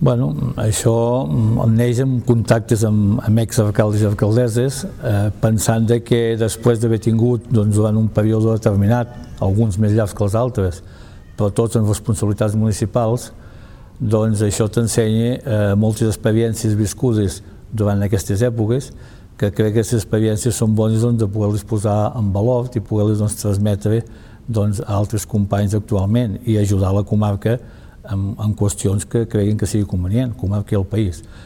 Bueno, això neix amb contactes amb exalcaldes i alcaldesses, pensant que després d'haver tingut durant un període determinat, alguns més llargs que els altres, però tots amb responsabilitats municipals, doncs això t'ensenya moltes experiències viscudes durant aquestes èpoques, que crec que aquestes experiències són bones de poder-les posar en valor i poder-les transmetre a altres companys actualment i ajudar la comarca en qüestions que creguin que sigui convenient, comarca i el país.